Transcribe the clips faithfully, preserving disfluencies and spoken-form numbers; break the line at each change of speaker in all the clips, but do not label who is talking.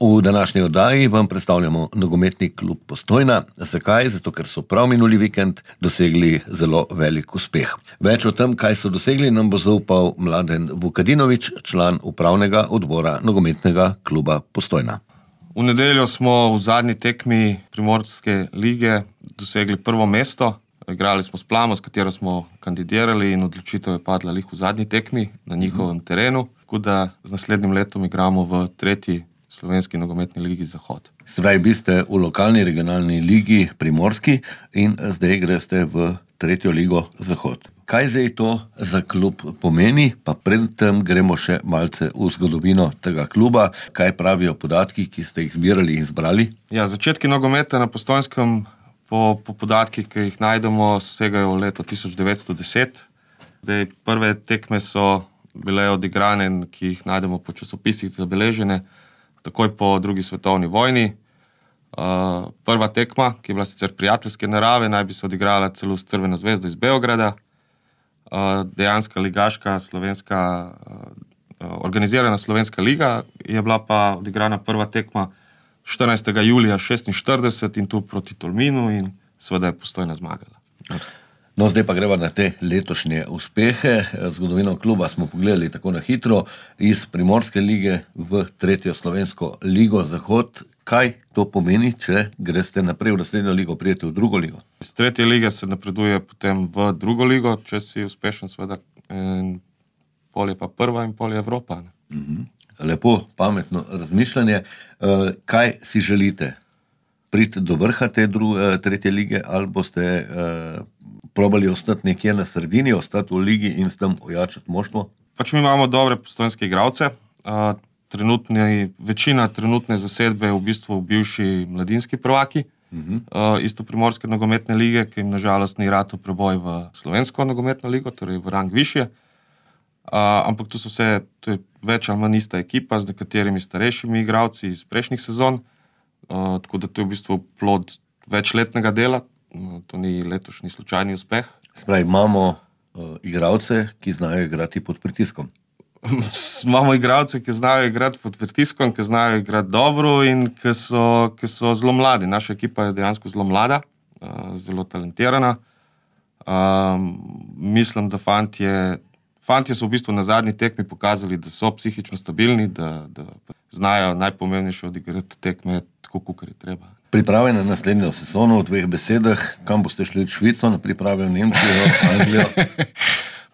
V današnji oddaji vam predstavljamo nogometni klub Postojna. Zakaj? Zato, ker so prav minuli vikend dosegli zelo velik uspeh. Več o tem, kaj so dosegli, nam bo zaupal Mladen Vukadinovič, član upravnega odbora nogometnega kluba Postojna.
V nedeljo smo v zadnji tekmi Primorske lige dosegli prvo mesto. Igrali smo s Plamo, s katero smo kandidirali, in odločitev je padla lih v zadnji tekmi na njihovem terenu. Tako da z naslednjim letom igramo v tretji slovenski nogometni ligi Zahod.
Zdaj biste v lokalni regionalni ligi Primorski in zdaj greste v tretjo ligo Zahod. Kaj zdaj to za klub pomeni? Pa predtem gremo še malce v zgodovino tega kluba. Kaj pravijo podatki, ki ste jih zbirali in zbrali?
Ja, začetki nogometa na Postojnskem po, po podatkih, ki jih najdemo, segajo v leto tisoč devetsto deset. Zdaj, prve tekme so bile odigrane, ki jih najdemo po časopisih zabeležene, takoj po drugi svetovni vojni. Uh, prva tekma, ki je bila sicer prijateljske narave, naj bi se odigrala celo s Crveno zvezdo iz Beograda. Uh, dejanska ligaška slovenska, uh, organizirana slovenska liga je bila pa odigrana prva tekma štirinajstega julija šestinštirideset in tu proti Tolminu in seveda je Postojna zmagala.
No, zdaj pa greva na te letošnje uspehe. Zgodovino kluba smo pogledali tako na hitro, iz Primorske lige v tretjo slovensko ligo Zahod. Kaj to pomeni, če greste naprej v naslednjo ligo, prijete v drugo ligo?
Iz tretje lige se napreduje potem v drugo ligo, če si uspešen, seveda, in pol je pa prva in pol je Evropa. Ne?
Mhm. Lepo, pametno razmišljanje. Kaj si želite? Priti do vrha te druge, tretje lige, ali boste eh, probali ostati nekje na sredini, ostati v ligi in s tem ojačati moštvo?
Pač mi imamo dobre postojnske igralce. Uh, trenutni, večina trenutne zasedbe je v bistvu bivši mladinski prvaki, uh-huh. uh, isto Primorske nogometne lige, ki jim nažalost ni ratal preboj v slovensko nogometno ligo, torej v rang višje. Uh, ampak tu so vse, tu je več ali manj ista ekipa z nekaterimi starejšimi igralci iz prejšnjih sezon. Uh, tako da to je v bistvu plod večletnega dela, uh, to ni letošnji slučajni uspeh.
Spravi, imamo uh, igralce, ki znajo igrati pod pritiskom.
Imamo igralce, ki znajo igrati pod pritiskom, ki znajo igrati dobro in ki so, ki so zelo mladi. Naša ekipa je dejansko zelo mlada, uh, zelo talentirana. Um, mislim, da fantje, fantje so v bistvu na zadnji tekmi pokazali, da so psihično stabilni, da, da znajo najpomembnejše odigrati tekme tako, kakor je treba.
Priprave na naslednjo sezono v dveh besedah, kam boste šli v Švico, na priprave v Nemčijo, Anglijo?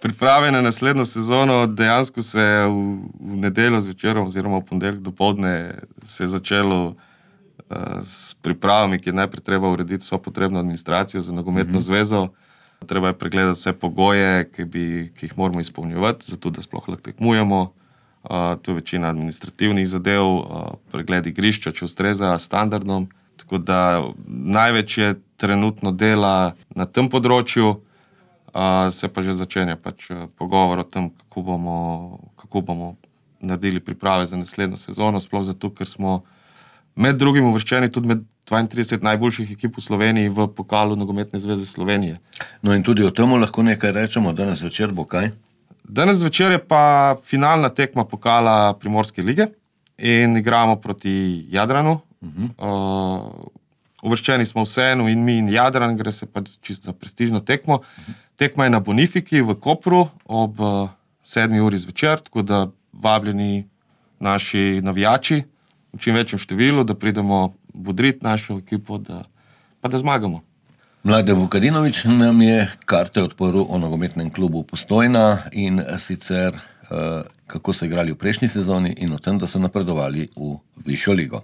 Priprave na naslednjo sezono dejansko se v, v nedeljo zvečer oziroma v ponedeljek dopoldne se je začelo uh, s pripravami, ki je najprej treba urediti vso potrebno administracijo za nogometno mm-hmm. zvezo. Treba je pregledati vse pogoje, ki, bi, ki jih moramo izpolnjevati, zato da sploh lahko tekmujemo. Uh, to je večina administrativnih zadev, uh, pregled igrišča, če ustreza standardom. Tako da največ je trenutno dela na tem področju, uh, se pa že začenja pač pogovor o tem, kako bomo, kako bomo naredili priprave za naslednjo sezono, sploh zato, ker smo med drugim uvrščeni tudi med dvaintrideset najboljših ekip v Sloveniji v pokalu Nogometne zveze Slovenije.
No in tudi o tem lahko nekaj rečemo, danes večer bo kaj?
Danes večer je pa finalna tekma pokala Primorske lige in igramo proti Jadranu. Uh-huh. Uh, uvrščeni smo vseeno in mi in Jadran, gre se pa čisto za prestižno tekmo. Uh-huh. Tekma je na Bonifiki v Kopru ob uh, sedmi uri zvečer, tako da vabljeni naši navijači v čim večjem številu, da pridemo bodriti našo ekipo, da, pa da zmagamo.
Mladen Vukadinovič nam je karte odprl o nogometnem klubu Postojna in sicer uh, kako so igrali v prejšnji sezoni in o tem, da so napredovali v višjo ligo.